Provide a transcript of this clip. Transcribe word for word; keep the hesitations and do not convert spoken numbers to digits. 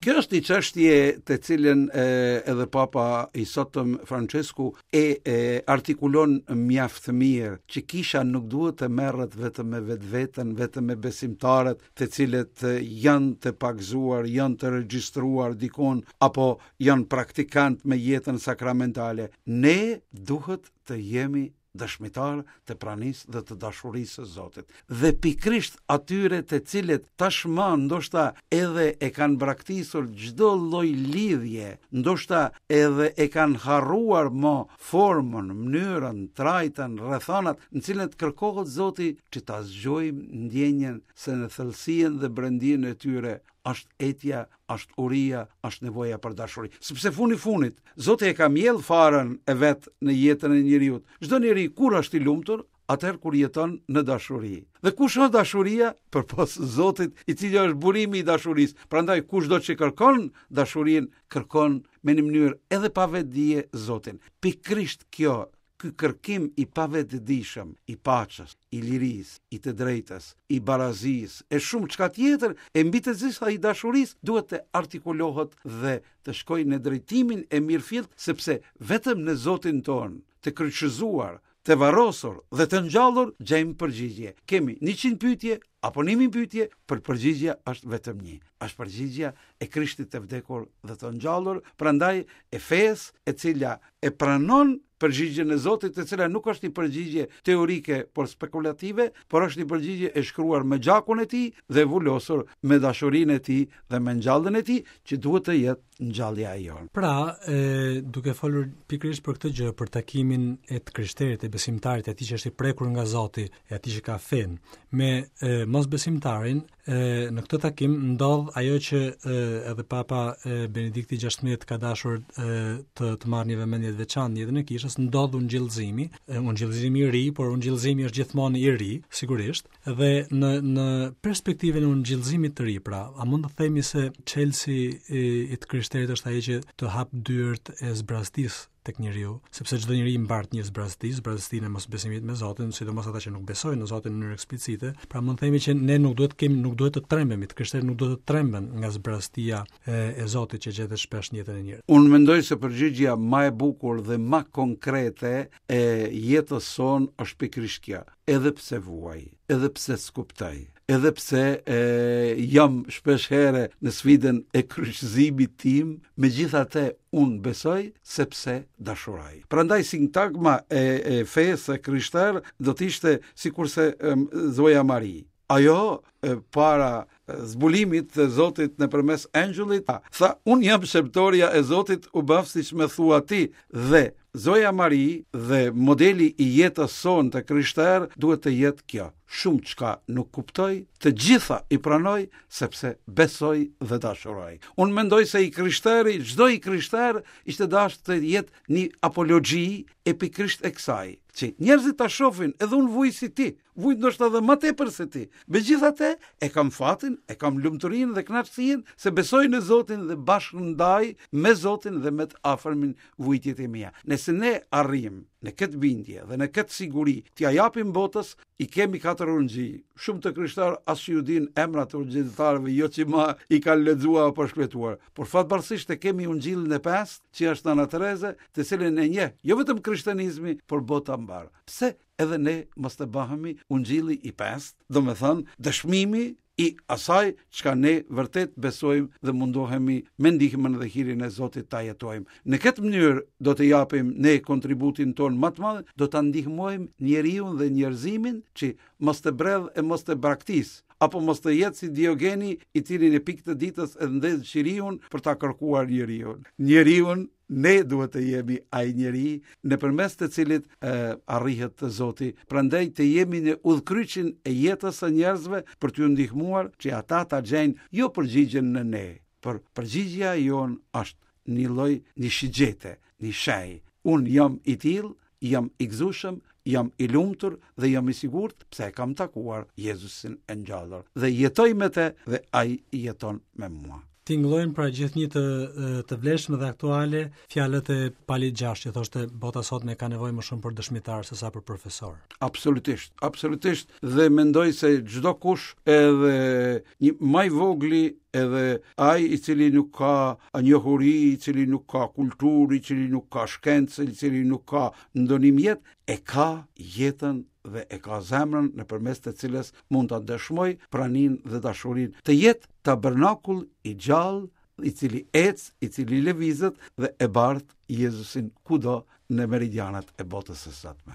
Kjo është një çështje të cilën e, edhe Papa i sotëm Francesku e, e artikulon mjaft mirë, që kisha nuk duhet të merret vetëm me vetveten, vetëm me besimtarët të cilët janë të pagëzuar, janë të regjistruar dikon apo janë praktikant me jetën sakramentale. Ne duhet të jemi dëshmitar të pranisë dhe të dashurisë së Zotit. Dhe pikërisht atyre të cilët tashmë ndoshta edhe e kanë braktisur çdo lloj lidhje, ndoshta edhe e kanë harruar më formën, mënyrën, trajtën, rrethanat në cilët kërkohet Zoti që ta zgjojmë ndjenjën se në thellësinë dhe brendinë e tyre është etja, është uria, është nevoja për dashuri. Sepse funi funit, Zoti e ka mjell farën e vet në jetën e njeriut. Çdo njeri kur është i lumtur, atëherë kur jeton në dashuri. Dhe kush është dashuria? Përpos Zotit, i cili është burimi i dashurisë. Prandaj kushdo që kërkon dashurinë, kërkon me një mënyrë edhe pa vetëdije Zotin. Pikërisht kjo, ky kërkim i pavetëdijshëm, i paqes, i lirisë, i të drejtës, i barazisë, e shumë çka tjetër, e mbi të gjitha i dashurisë, duhet të artikulohet dhe të shkojë në drejtimin e mirëfillt, sepse vetëm në Zotin tonë, të kryqëzuar, të varrosur dhe të ngjallur, gjejmë përgjigje. Kemi njëqind pyetje apo një mijë pyetje, por përgjigjja është vetëm një. Është përgjigjja e Krishtit të vdekur dhe të ngjallur, prandaj e fesë e cila e pranon përgjigjen e Zotit, e cila nuk është një përgjigje teorike, por spekulative, por është një përgjigje e shkruar me gjakun e tij dhe e vulosur me dashurinë e tij dhe me ngjalljen e tij, që duhet të jetë ngjallja e jonë. Pra, e, duke folur pikërisht për këtë gjë, për takimin e të krishterit, e besimtarit, e atij që është i prekur nga Zoti, e atij që ka fen, me e, mosbesimtarin, e, në këtë takim ndodh ajo që e, edhe Papa e, Benedikti gjashtëmbëdhjetë ka dashur e, të, të marrë një vëmendje të veçantë në jetën e kishës, ndodh ungjillëzimi, e, ungjillëzimi i ri, por ungjillëzimi është gjithmonë i ri, sigurisht, dhe në në perspektivën e ungjillëzimit të ri, pra, a mund të themi se çelësi i, i të krishterit është ai që të hap dyert e zbraztisë tek njeriu, sepse çdo njeri mbart një zbrazti, zbraztinë e mosbesimit me Zotin, sidomos ata që nuk besojnë në Zotin në mënyrë eksplicite. Pra mund të themi që ne nuk duhet të kemi, nuk duhet të trembemi, të krishterët nuk duhet të tremben nga zbraztia e, e Zotit që gjendet shpesh në jetën e njerëzve. Unë mendoj se përgjigjja më e bukur dhe më konkrete e jetës sonë është pikërisht kjo. Edhe pse vuaj, edhe pse s'kuptoj, edhe pse e, jam shpesh herë në sfidën e kryqëzimit tim, megjithatë unë besoj sepse dashuroj. Prandaj sintagma e, e fesë së krishterë do të ishte sikurse e, Zoja Mari. Ajo e, para zbulimit të Zotit nëpërmes engjëllit, tha, unë jam shërbëtoria e Zotit, u bëf siç më thua ti. Dhe Zoja Mari dhe modeli i jetës sonë të krishterë duhet të jetë kjo. Shumë çka nuk kuptoj, të gjitha i pranoj sepse besoj dhe dashuroj. Unë mendoj se i krishteri, çdo i krishter ishte dashur të jetë një apologji e pikërisht e kësaj, që njerëzit ta shohin, edhe unë vuj si ti, vuj ndoshta edhe më tepër se ti. Megjithatë, e kam fatin, e kam lumturinë dhe kënaqësinë se besoj në Zotin dhe bashkëndaj me Zotin dhe me të afërmin vujtjet e mia. Nëse ne arrijmë në këtë bindje dhe në këtë siguri t'ia japim botës, i kemi katër ungjij. Shumë të krishtar as që ju din emrat e ungjilltarëve, jo që ma i kanë lexuar apo shkruar. Por fatbardhësisht e kemi ungjillin e pestë, që është Nëna Tereze, të cilin e njeh jo vetëm krishtenizmi, por bota mbar. Pse edhe ne mos të bëhemi ungjilli i pestë, domethënë dëshmimi i asaj çka ne vërtet besojmë dhe mundohemi me ndihmën dhe hirin e Zotit ta jetojmë. Në këtë mënyrë do të japim ne kontributin ton më të madh, do ta ndihmojmë njeriun dhe njerëzimin që mos të bredh e mos të braktis, apo mos të jetë si Diogeni i cili në pikë të ditës e ndez qiriun për ta kërkuar njeriun. Njeriun ne duhet të jemi ai njeri nëpërmes të cilit e, arrihet të Zoti. Prandaj të jemi në udhkryqin e jetës së njerëzve për t'ju ndihmuar që ata ta gjejnë jo përgjigjen në ne, por përgjigjja jonë është një lloj një shigjete, një shenjë. Unë jam i tillë, jam i gëzueshëm, jam i lumtur dhe jam i sigurt pse e kam takuar Jezusin e ngjallur dhe jetoj me të dhe ai jeton me mua. Tingëllojnë pra gjithnjë të, të vlefshme dhe aktuale fjalët e Palit gjashtë që thoshte bota sot ne ka nevojë më shumë për dëshmitar se sa për profesor. Absolutisht, absolutisht, dhe mendoj se çdo kush, edhe një më i vogli Edhe ai i cili nuk ka njohuri, i cili nuk ka kulturë, i cili nuk ka shkencë, i cili nuk ka ndonjë mjet, e ka jetën dhe e ka zemrën nëpërmes të cilës mund ta dëshmoj praninë dhe dashurinë. Të jetë tabernakull i gjallë, i cili ec, i cili lëvizet dhe e bart Jezusin kudo në meridianat e botës së sotme.